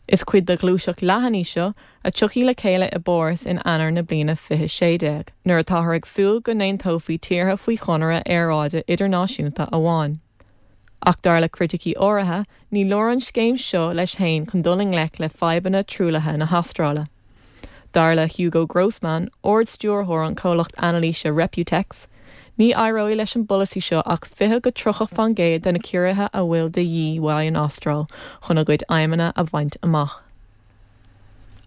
Is cuid de ghluaiseacht leathan í seo a tiocfaidh le chéile i bPáras in Eanáir na bliana 2016, nuair atáthar ag súil go n-aontófaí tíortha faoi chonradh aeráide idirnáisiúnta amháin. Ach dar le criticí áirithe, ní leor an scéim seo leis fhéin chun dul i ngleic le fadhbanna truaillithe na hAstráile. Dar le Hugo Grossman, Ard-Stiúrthóir an chomhlacht anailíse Reputex, ní éireoidh leis an bpolasaí seo ach 20-30 fán gcéad de na ciorruithe a bhfuil de dhíth uaidh an Astráil chun a gcuid aidhmeanna a bhaint amach.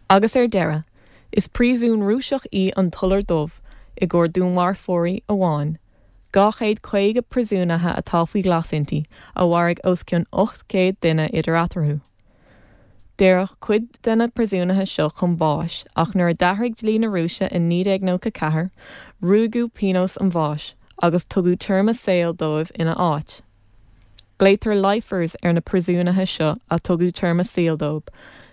Agus ar deireadh, is príosún Rúiseach í an tIolar Dubh i gcomhair dúnmharfóirí amháin. 250 príosúnaithe atá faoi ghlas inti, a mharaigh os cionn 800 duine idir eatarthu. Daoradh cuid de na príosúnaithe seo chun báis ach nuair a d'athraigh dlí na Rúise in 1994, ruaigeadh pionós an bháis agus tugadh téarma saoil dóibh ina áit. Glaotar 'lifers' ar na príosúnaithe seo a tugadh téarma saoil dóibh.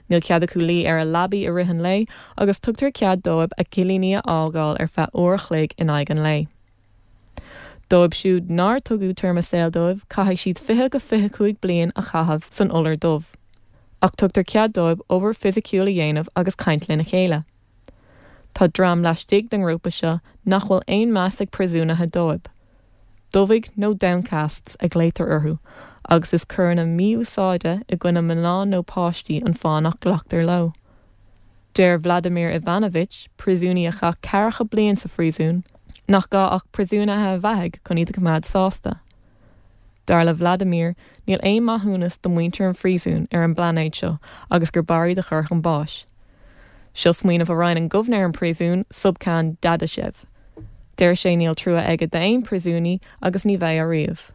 Níl cead acu luí ar a leabaí i rith an lae agus tugtar cead dóibh a gcillíní a fhágáil ar feadh uair a chloig in aghaidh an lae. Dóibh siúd nár tugadh téarma saoil dóibh, caithfidh siad 20-25 bliain a chaitheamh san iolar dubh. Ach tugtar cead dóibh obair fisiciúil a dhéanamh agus caint lena chéile. Tá dream laistigh den ngrúpa seo nach bhfuil aon meas ag príosúnaithe dóibh. Dubhaigh nó downcasts a ghlaotar orthu agus is coireanna mí-úsáide i gcoinne mná nó páistí an fáth nach nglactar leo. Deir Vladimir Ivanovich, príosúnaí a chaith ceathracha bliain sa phríosún, nach gá ach príosúnaithe a bheathaigh chun iad a choimeád sásta. Dar le Vladimir, níl aon maithiúnas do mhuintir an phríosúin ar an bplainéad seo agus gur b'fhearr iad a chur chun báis. Seo smaoineamh a roinneann gobhnaer an phríosúin, Subkhan Dadashev. Deir sé níl trua aige d'aon phríosúnaí agus ní bheidh ariamh.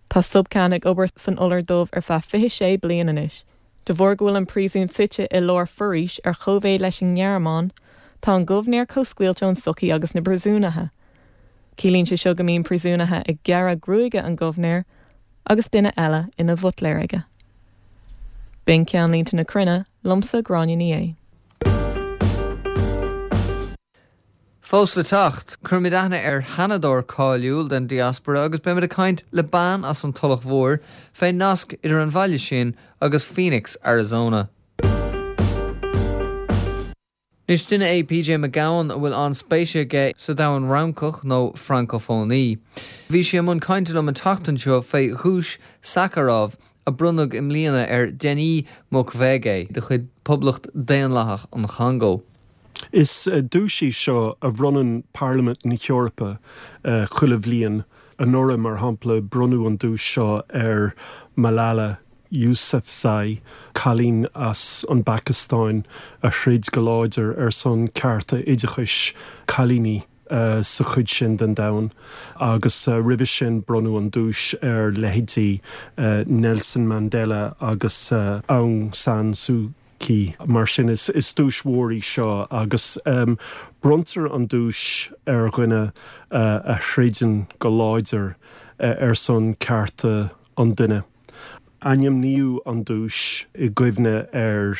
Tá Subkhan ag obair san iolar dubh ar feadh 26 bliain anois. De bharr go bhfuil an príosún suite i lár foraois ar chóimhéid leis an nGearmáin, tá an gobhnaer chomh scaoilte ón sochaí agus na príosúnaithe. Ciallaíonn sé seo go mbíonn príosúnaithe ag gearradh gruaige an ghobhnaeir agus duine eile ina bhuitléir aige. B'in ceannlínte na cruinne, liomsa Gráinne Ní Aodha. Fós le teacht, cuirfimid aithne ar sheanadóir cáiliúil den diaspora agus beimid ag caint le bean as an Tulach Mhór fén nasc idir an bhaile sin agus Phoenix, Arizona. Anois, duine é PJ Mac Gabhann a bhfuil an-spéis aige sa domhan Fhrancach nó Francophonie. Bhí sé i mbun cainte liom an tseachtain seo fé dhuais Sakharov a bronnadh i mbliana ar Denis Mukwege de chuid Poblacht Daonlathach an Chongó. Is duais í seo a bhronnann Parlaimint na hEorpa chuile bhliain. Anuraidh, mar shampla, bronnadh an duais seo ar Malala Yousafzai, cailín as an bPacastáin a throid go láidir ar son cearta oideachais cailíní sa chuid sin den domhan. Agus roimhe sin bronnadh an duais ar leithéidí Nelson Mandela agus Aung San Suu Kyi. Mar sin, is duais mhór í seo agus bronntar an duais ar dhuine a throideann go láidir ar son cearta an duine. Ainmníodh an duais i gcuimhne ar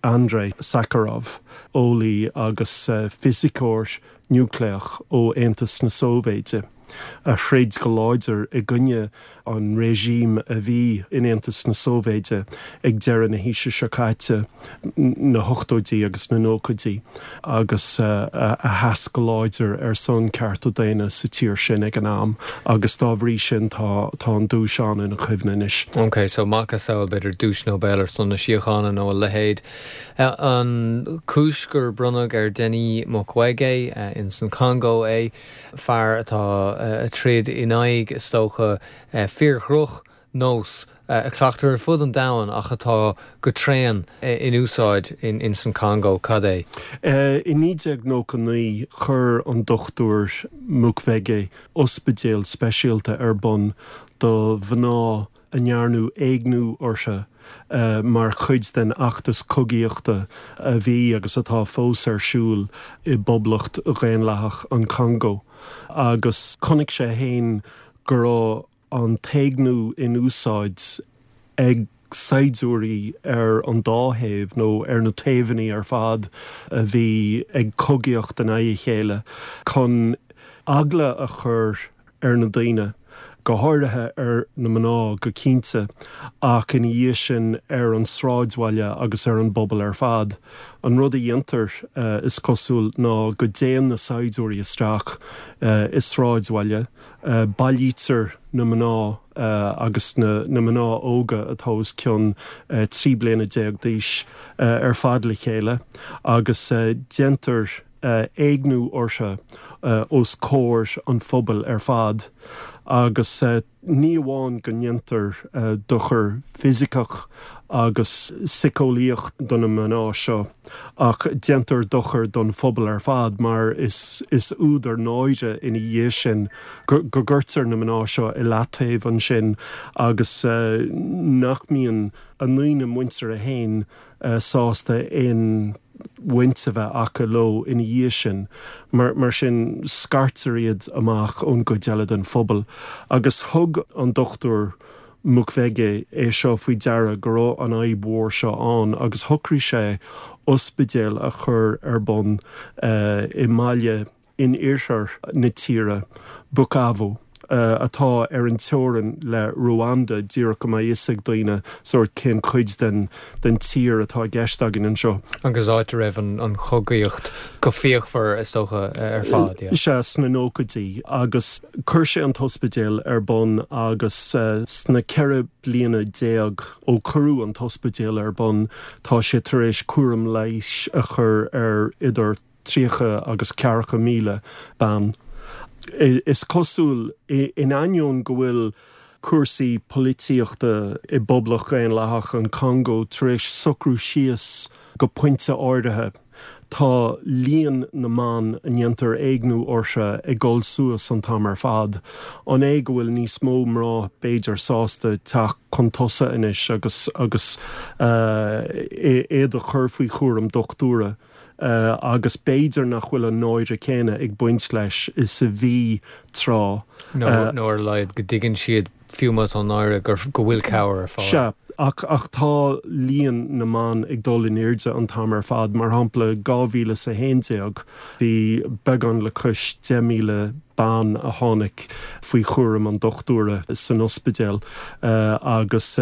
Andrei Sakharov, eolaí agus fisiceoir núicléach ó Aontas na Sóivéide, a throid go láidir i gcoinne. an regime a bhí in Aontas na Sóivéide ag deireadh na haoise seo caite, na hochtóidí agus na nóchaidí, agus a sheas go láidir ar son cearta daonna sa tír sin ag an am agus dá bhrí sin tá tá an duais ann ina chuimhne anois. Ok, so macasamhail b'fhéidir duais Nobel ar son na síochána nó a leithéid. An chúis gur bronnadh ar Denis Mukwege in san Congo é, fear atá ag troid in aghaidh, is dócha, fíor-dhroch nós a chleachtar ar fud an domhain ach atá go tréan in úsáid in san Congo. Cad é? I 1999 chuir an Dr Mukwege ospidéal speisialta ar bun do mhná a ndearnadh éigniú orthu mar chuid den fheachtas cogaíochta a bhí agus atá fós ar siúl i bPoblacht Dhaonlathach an Chongó. Agus chonaic sé féin go raibh an t-éigniú in úsáid ag saighdiúirí ar an dá thaobh, nó ar na taobhanna ar fad a bhí ag cogaíocht in aghaidh a chéile, chun eagla a chur ar na daoine, go háirithe ar na mná go cinnte, ach ina dhiaidh sin ar an sráidbhaile agus ar an bpobal ar fad. An rud a dhéantar, is cosúil, ná go dtéann na saighdiúirí isteach i sráidbhaile, bailítear na mná agus na mná óga atá os cionn 13 bliana d'aois ar fad le chéile agus déantar éigniú orthu os comhair an phobail ar fad agus ní amháin go ndéantar dochar fisiceach agus síceolaíoch do na mná seo ach déantar dochar don phobal ar fad mar is údar náire ina dhiaidh sin go gcuirtear na mná seo i leataobh ansin agus nach mbíonn a ndaoine muinteartha féin sásta aon bhaint a bheith acu leo ina dhiaidh sin. Mar sin, scairtear iad amach ón gcuid eile den phobal. Agus thug an Dr Mukwege é seo faoi deara go raibh an fhadhb mhór seo ann agus shocraigh sé ospidéal a chur ar bun i mbaile in iarthar na tíre, Bukavu, atá ar an teorainn le Ruanda, díreach go mbeidh fhios ag daoine sórt cén chuid den den tír atá i gceist againn anseo. Agus áit a raibh an chogaíocht go fíochmhar, is dócha, ar fad, yeah. Sea, sna nóchaidí. Agus chuir sé an t-ospidéal ar bun agus sna 14 bliana ó cuireadh an t-ospidéal ar bun, tá sé tar éis cúram leighis a chur ar idir 30 agus 40,000 bean. Is cosúil, in ainneoin go bhfuil cúrsaí polaitíochta i bPoblacht Dhaonlathach an Chongó tar éis socrú síos go pointe áirithe, tá líon na mban a ndéantar éigniú orthu ag dul suas an t-am ar fad. An é go bhfuil níos mó mná b'fhéidir sásta teacht chun tosaigh anois agus agus iad a chur faoi chúram dochtúra? agus b'fhéidir nach bhfuil an náire céanna ag baint leis is a bhí tráth. Nó ar a laghad go dtuigeann siad, fiú má tá náire, go bhfuil cabhair ar fáil. Sea, ach ach tá líon na mban ag dul in airde an t-am ar fad. Mar shampla, 2011, bhí beagán le cois 10,000 bean a tháinig faoi chúram an dochtúra san ospidéal agus,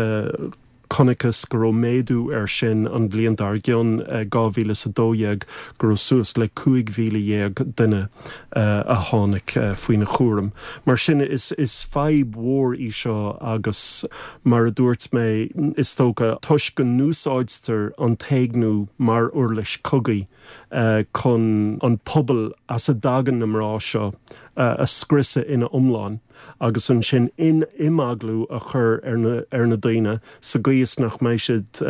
Chonacthas go raibh méadú air sin an bhliain dár gcionn, 2012, go raibh suas le 15,000 duine a tháinig faoina chúram. Mar sin, is fadhb mhór í seo agus, mar a dúirt mé, is dócha, toisc go n-úsáidtear an t-éigniú mar uirlis cogaidh chun an pobal as a dtagann na mná seo a scriosadh ina iomlán. agus ansin imeaglú a chur ar na ar na daoine sa gcaoi is nach mbeidh siad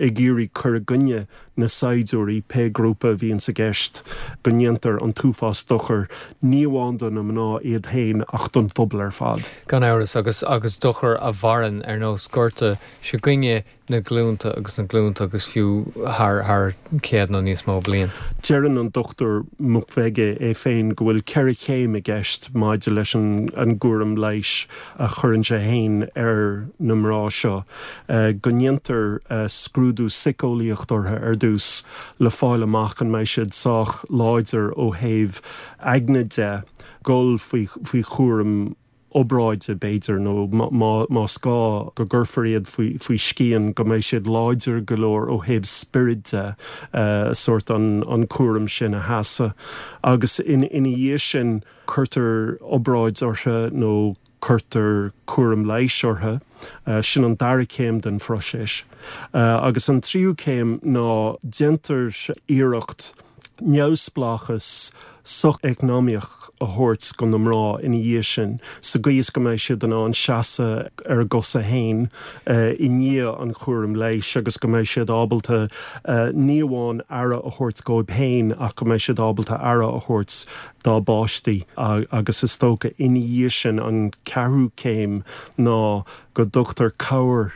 ag iarraidh cur i gcoinne na saighdiúirí, pé grúpa a bhíonns i gceist, go ndéantar an t-uafás dochair, ní amháin do na mná iad féin ach don phobal ar fad. Gan amhras, agus agus dochar a mhaireann ar nós gorta s'againne na glúnta agus na glúnta agus fiú thar thar chéad nó níos mó bliain. Deireann an Dr Mukwege é féin go bhfuil 4 chéim i gceist maidir leis an an gcúram leighis a chuireann sé féin ar na mná seo, go ndéantar scrúdú síceolaíocht orthu ar dtús le fáil amach an mbeidh siad sách láidir ó thaobh aigne de dhul faoi faoi chúram. obráide, b'fhéidir, nó más gá go gcuirfear iad faoi scian, go mbeidh siad láidir go leor ó thaobh spioraid de, sórt an cúram sin a sheasamh. Agus ina dhiaidh sin, cuirtear obráid orthu nó cuirtear cúram leighis orthu. Sin an dara céim den phróiseas. Agus an tríú céim ná déantar iarracht neamhspleáchas socheacnamaíoch a thabhairt go na mná ina dhiaidh sin, sa gcaoi is go mbeidh siad in ann seasamh ar a gcosa féin i ndiaidh an chúraim leighis agus go mbeidh siad ábalta ní amháin aire a thabhairt dóibh féin ach go mbeidh siad ábalta aire a thabhairt dá bpáistí. Agus is dócha ina dhiaidh sin an ceathrú céim ná go dtugtar cabhair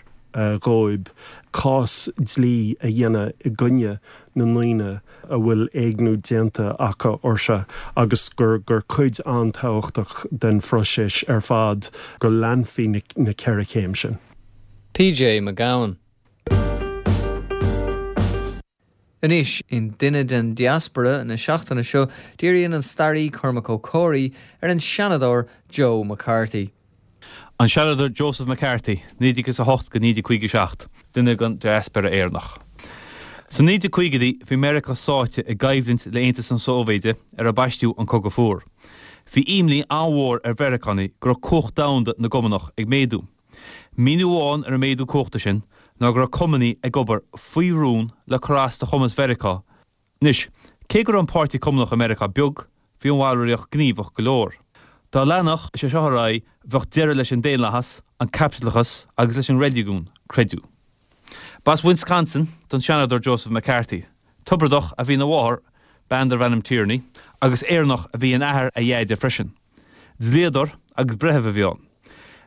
dhóibh cás dlí a dhéanamh i gcoinne na ndaoine a bhfuil éigniú déanta acu orthu agus gur gur cuid an-tábhachtach den phróiseas ar fad go leanfaí na ceithre chéim sin. PJ Mac Gabhann. Anois, in Duine den Diaspóra na seachtaine seo, díríonn an staraí Cormac Ó Comhraí ar an Seanadóir Joe McCarthy. An Seanadóir Joseph McCarthy, 1908-1957, duine den diaspóra Éireannach. Sna 1950idí bhí Meiriceá sáite i gcoimhlint le Aontas na Sóivéide ar ar baisteadh an Cogadh Fuar. Bhí imní an-mhór ar Mheiriceánaigh go raibh cumhacht domhanda na gCumannach ag méadú. Míniú amháin ar an méadú cumhachta sin ná go raibh Cumannaigh ag obair faoi rún le cur as do chumas Mheiriceá Anois, cé go raibh an Páirtí Cumannach i Meiriceá beag, bhí an bhallraíocht gníomhach go leor. Dá leanfadh sé seo ar aghaidh, bheadh deireadh leis an daonlathas, an caipitleachas agus leis an reiligiún, creideadh. B'as Wisconsin don Seanadóir Joseph McCarthy. Tiobradach a bhí ina mháthair, bean darbh ainm Tierney, agus Éireannach a bhí in athair a dheaide freisin. Dlíodóir agus breitheamh a bhí ann.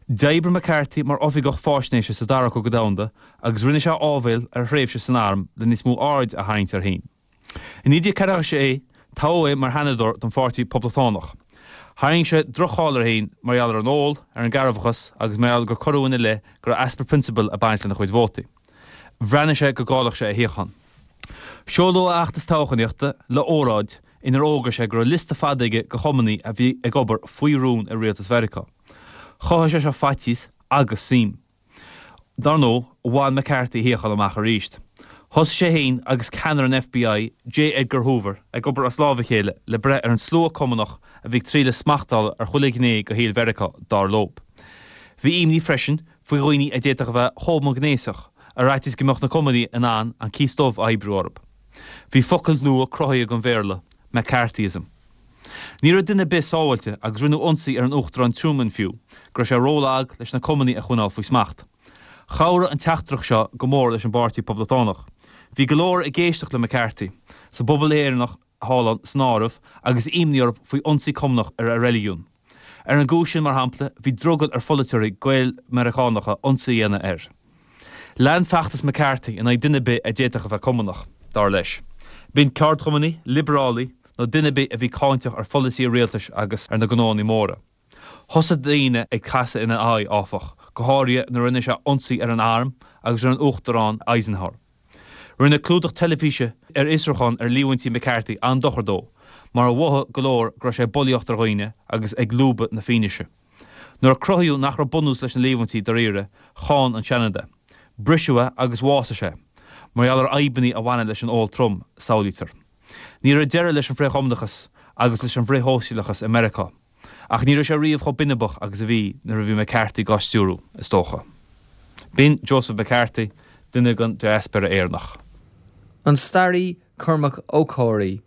D'oibrigh McCarthy mar oifigeach faisnéise sa Dara Cogadh Domhanda agus rinne sé áibhéil ar a thréimhse san arm le níos mó aird a tharraingt air féin. I 1946, toghadh é mar sheanadóir don Pháirtí Poblachtánach. Tharraing sé droch-cháil air féin mar gheall ar an ól, ar an gcearrbhachas agus mar gheall gur cuireadh ina leith go raibh easpa prionsabail ag baint lena chuid vótaí. Bhreathnaigh sé go gcaillfeadh sé a shuíochán. Seoladh a fheachtas toghchánaíochta le óráid inar fhógair sé go raibh liosta fada aige de Chumannaigh a bhí ag obair faoi rún i rialtas Mheiriceá. Chothaigh sé seo faitíos agus suim. Dar ndóigh, bhain McCarthy a shuíochán amach arís. Thosaigh sé féin agus ceannaire an FBI, J. Edgar Hoover, ag obair as lámh a chéile le breith ar an slua Cumannach a bhí ag triail a smacht a fháil ar chuile ghné de shaol Mheiriceá, dar leo. Bhí imní freisin faoi dhaoine a d'fhéadfadh a bheith homaighnéasach, ar fhaitíos go mbeadh na Cumannaigh in ann an cíos dubh a oibriú orthu. Bhí focal nua cruthaithe don Bhéarla, McCarthyism. Ní raibh duine ar bith sábháilte agus rinneadh ionsaí ar an Uachtarán Truman fiú, go raibh sé rólag leis na Cumannaigh a choinneáil faoi smacht. Chabhraigh an teachtaireacht seo go mór leis an bPáirtí Poblachtánach. Bhí go leor ag éisteacht le McCarthy, sa bpobal Éireannach thall ann san áireamh, agus imní orthu faoi ionsaí Cumannach ar a reiligiún. Ar an gcúis sin, mar shampla, bhí drogall ar pholaiteoirí Gael-Mheiriceánacha ionsaí a dhéanamh air. Lean feachtas McCarthy in aghaidh duine ar bith a d'fhéadfadh a bheith Cumannach, dar leis. B'in ceardchumannaigh, liobrálaigh, nó duine ar bith a bhí cáinteach ar pholasaí an rialtais agus ar na gnóanna móra. Thosaigh daoine ag casadh ina aghaidh, áfach, go háirithe nuair a rinne sé ionsaí ar an arm agus ar an Uachtarán Eisenhower. Rinne clúdach teilifíse ar fhiosrúchán ar líomhaintí McCarthy an-dochar dó, mar mhothaigh go leor go raibh sé ag bulaíocht ar dhaoine agus ag lúbadh na fianaise. Nuair a cruthaíodh nach raibh bunús leis na líomhaintí dáiríre, cháin an Seanad é. Briseadh é agus bhásaigh sé, mar gheall ar fhadhbanna a bhaineann leis an ól trom, samhlaítear. Ní raibh deireadh leis an bhfrith-Chumannachas agus leis an bhfrith-shóisialachas i Meiriceá. Ach ní raibh sé riamh chomh binibeach agus a bhí nuair a bhí McCarthy dhá stiúradh, is dócha. B'in Joseph McCarthy, duine den diaspóra Éireannach. An staraí Cormac Ó Comhraí.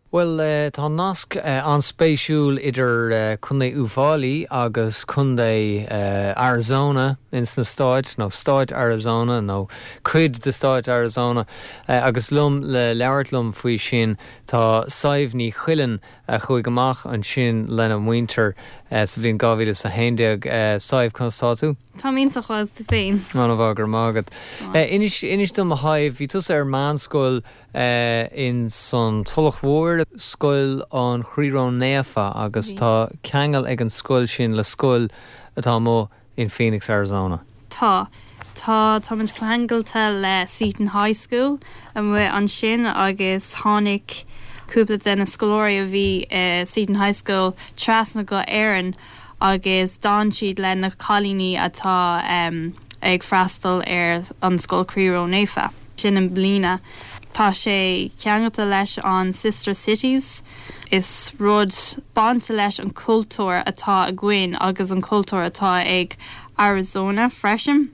Bhuel, tá nasc an-spéisiúil idir Contae Uíbh Fhailí agus Contae Arizona ins na Stáit, nó Stáit Arizona, nó cuid de Stáit Arizona, agus liom le labhairt liom faoi sin tá Sadhbh Ní Chuilinn a chuaigh amach ansin lena muintir sa bhliain 2011. Sadhbh, conas tá tú? Táim iontach maith, is tú féin? An-mhaith, go raibh maith agat. Inis, inis dom a Shadhbh, bhí tusa ar meánscoil in san Tulach Mhór, Scoil an Chroí Ró-Naofa agus tá ceangal ag an scoil sin le scoil atá amuigh in Phoenix, Arizona. Tá. Tá, táimid ceangailte le Seton High School amuigh ansin agus tháinig. cúpla de na scoláirí a bhí i Seton High School trasna go Éirinn agus d'fhan siad le na cailíní atá ag freastal ar an Scoil Croí Ró-Naofa. Sin i mbliana. Tá sé ceangailte leis an Sister Cities. Is rud bainte leis an cultúr atá againn agus an cultúr atá ag Arizona freisin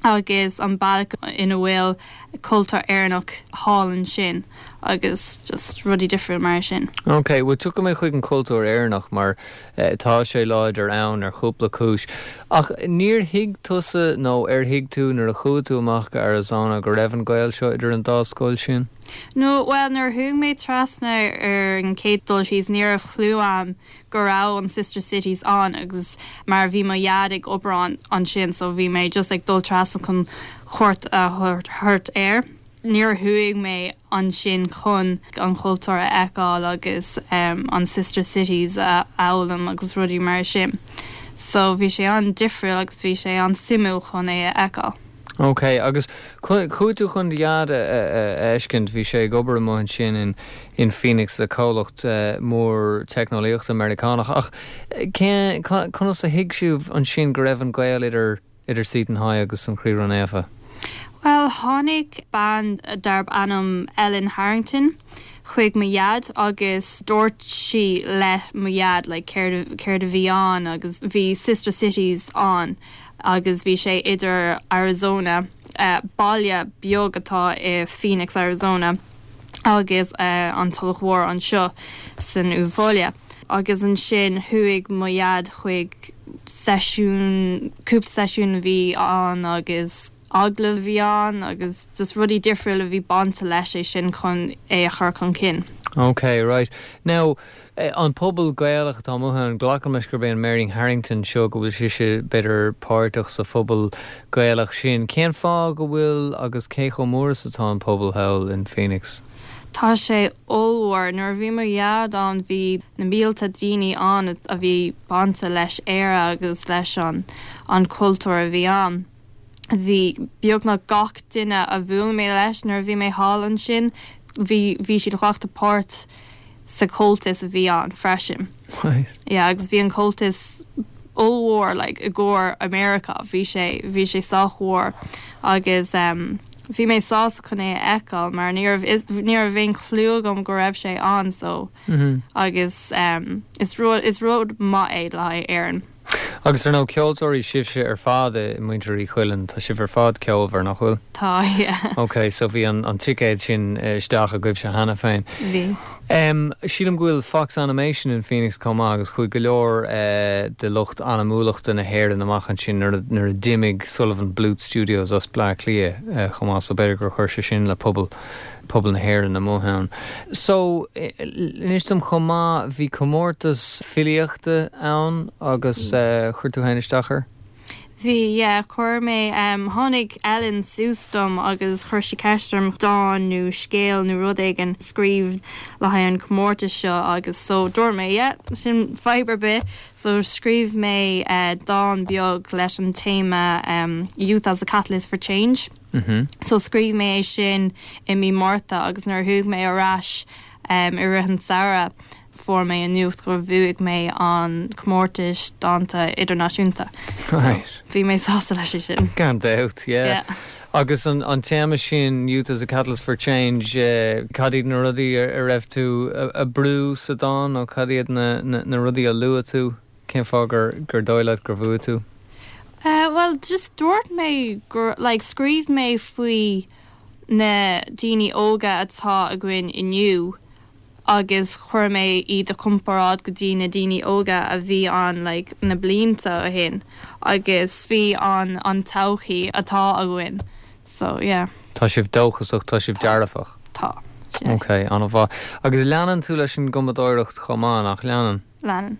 agus an bealach ina bhfuil cultúr Éireannach thall ansin agus just rudaí difriúil mar sin. Ok, bhuel tiocfaidh mé chuig an cultúr Éireannach mar tá sé láidir ann ar chúpla cúis. Ach níor thuig tusa nó ar thuig tú nuair a chuaigh tú amach go Arizona go raibh an gaol seo idir an dá scoil sin? No, bhuel nuair a chuaigh mé trasna ar an chéad dul síos ní raibh clue a'm go raibh an Sister Cities ann agus mar bhí mo dhaid ag obair ann ansin so bhí mé just ag dul trasna chun cuairt a thabhairt air. Níor chuaigh mé ansin chun an chultúr a fheiceáil agus an Sister Cities a fhoghlaim agus rudaí mar sin. So bhí sé an-difriúil agus bhí sé an-suimiúil chun é a fheiceáil. Ok, agus chuaigh tú chun do dhaid a fheiscint, bhí sé ag obair amuigh ansin in in Phoenix le comhlacht mór teicneolaíochta Meiriceánach ach cén, conas a thuig sibh ansin go raibh an gaol idir idir Seton High agus an Chroí Ró-Naofa? Bhuel, tháinig bean darb ainm Ellen Harrington chuig mo dhaid agus dúirt sí le mo dhaid like céard céard a bhí ann agus bhí Sister Cities ann agus bhí sé idir Arizona, baile beag atá i Phoenix, Arizona, agus an Tulach Mhór anseo san Uíbh Fhailí. Agus ansin chuaigh mo dhaid chuig seisiún, cúpla seisiún a bhí ann agus agallamh a bhí ann agus just rudaí difriúla a bhí bainte leis é sin chun é a chur chun cinn. Ok, right. Now, An pobal Gaelach atá amuigh ann, glacaim leis gurb é an Mary Harrington seo, go bhfuil sise, b'fhéidir, páirteach sa phobal Gaelach sin. Cén fáth go bhfuil agus cé chomh mór is atá an pobal thall in Phoenix? Tá sé ollmhór. Nuair a bhí mo dhaid ann bhí na mílte daoine ann a bhí bainte leis Éire agus leis an an cultúr a bhí ann. Bhí beagnach gach duine a bhuail mé leis nuair a bhí mé thall ansin, bhí bhí siad glactha páirt sa Comhaltas a bhí ann freisin. Right. Yeah, agus bhí an Comhaltas ollmhór like i gcomhair America, bhí sé bhí sé sách mhór agus um, bhí mé sásta chun é a fheiceáil mar ní raibh is ní raibh aon clue agam go raibh sé ann so mm -hmm. agus um, is rud is rud maith é le haghaidh Éirinn. Agus ar ndóigh ceoltóirí sibhse ar fad i muintir Uí Chuilinn, tá sibh ar fad ceolmhar, nach bhfuil? Tá, yeah. Ok, so bhí an ticéad sin isteach agaibhse cheana féin. Bhí. Sílim go bhfuil Fox Animation in Phoenix chomh maith agus chuaigh go leor de lucht anamúlachta na hÉireann amach ansin nuair a d'imigh Sullivan Bluth Studios as Bleá Cliath chomh maith, so b'fhéidir gur chuir sé sin le pobal pobal na hÉireann amuigh ann. So, inis dom chomh maith, bhí comórtas filíochta ann agus chuir tú féin isteach air? Bhí, yeah, chuir mé, tháinig Ellen suas dom agus chuir sí ceist orm dán nó scéal nó rud éigin a scríobh le haghaidh an comórtas seo agus so dúirt mé yeah, sin fadhb ar bith. So scríobh mé dán beag leis an téama Youth as a Catalyst for Change. So scríobh mé é sin i mí Márta agus nuair a chuaigh mé ar ais i rith an samhradh fuair mé an nuacht gur bhuaigh mé an comórtas dánta idirnáisiúnta. So bhí mé sásta leis sin. Gan dabht, yeah. Agus an téama sin, Youth as a Catalyst for Change, cad iad na rudaí a raibh tú a brú sa dán nó cad iad na rudaí a luaigh tú? Cén fáth gur gur dóigh leat gur bhuaigh tú? Eh bhuel just dúirt mé gur like scríobh mé faoi na daoine óga atá againn inniu agus chuir mé iad i comparáid go dtí na daoine óga a bhí ann like na blianta ó shin agus faoi an an todhchaí atá againn so yeah. Tá sibh dóchasach, tá sibh dearfach. Tá. Ok, an-mhaith. Agus leanann tú leis an gcumadóireacht chomh maith, nach leanann? Leanann.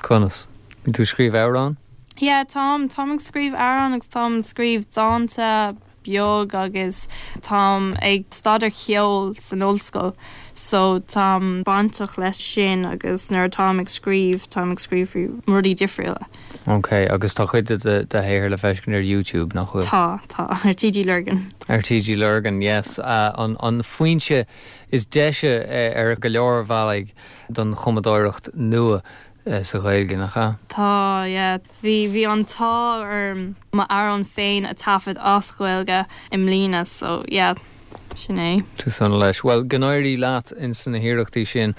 Conas? Bíonn tú ag scríobh amhrán? Yeah, táim. Táim ag scríobh amhrán agus táim ag scríobh dánta. beag agus táim ag staidéar ceoil san ollscoil so táim bainteach leis sin agus nuair atáim ag scríobh táim ag scríobh faoi rudaí difriúla. Ok, agus tá cuid de do shaothar le feiscint ar YouTube, nach bhfuil? Tá, tá, ar TG Lurgan. Ar TG Lurgan, yes. An foinse is deise ar go leor bealaí don chumadóireacht nua sa Ghaeilge, nach ea? Tá, yeah. Bhí, bhí an t-ádh orm m'amhrán féin a taifead as Gaeilge i mbliana, so yeah, sin é. Tú sona leis. Bhuel, go n-éirí leat ins na hiarrachtaí sin.